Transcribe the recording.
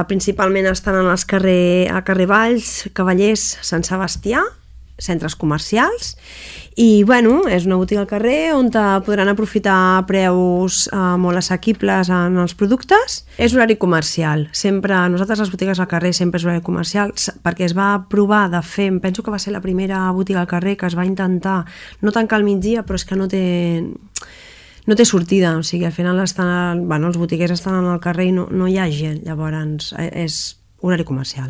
Principalment estan en els carrer Valls, Cavallers, Sant Sebastià, centres comercials, i bueno, és una botiga al carrer on podran aprofitar preus molt assequibles en els productes. És horari comercial, sempre, nosaltres les botigues al carrer sempre és horari comercial, perquè es va provar de fer, em penso que va ser la primera botiga al carrer que es va intentar no tancar al migdia, però és que no té sortida, o sigui, al final els botiguers estan al carrer i no hi ha gent, llavors és horari comercial.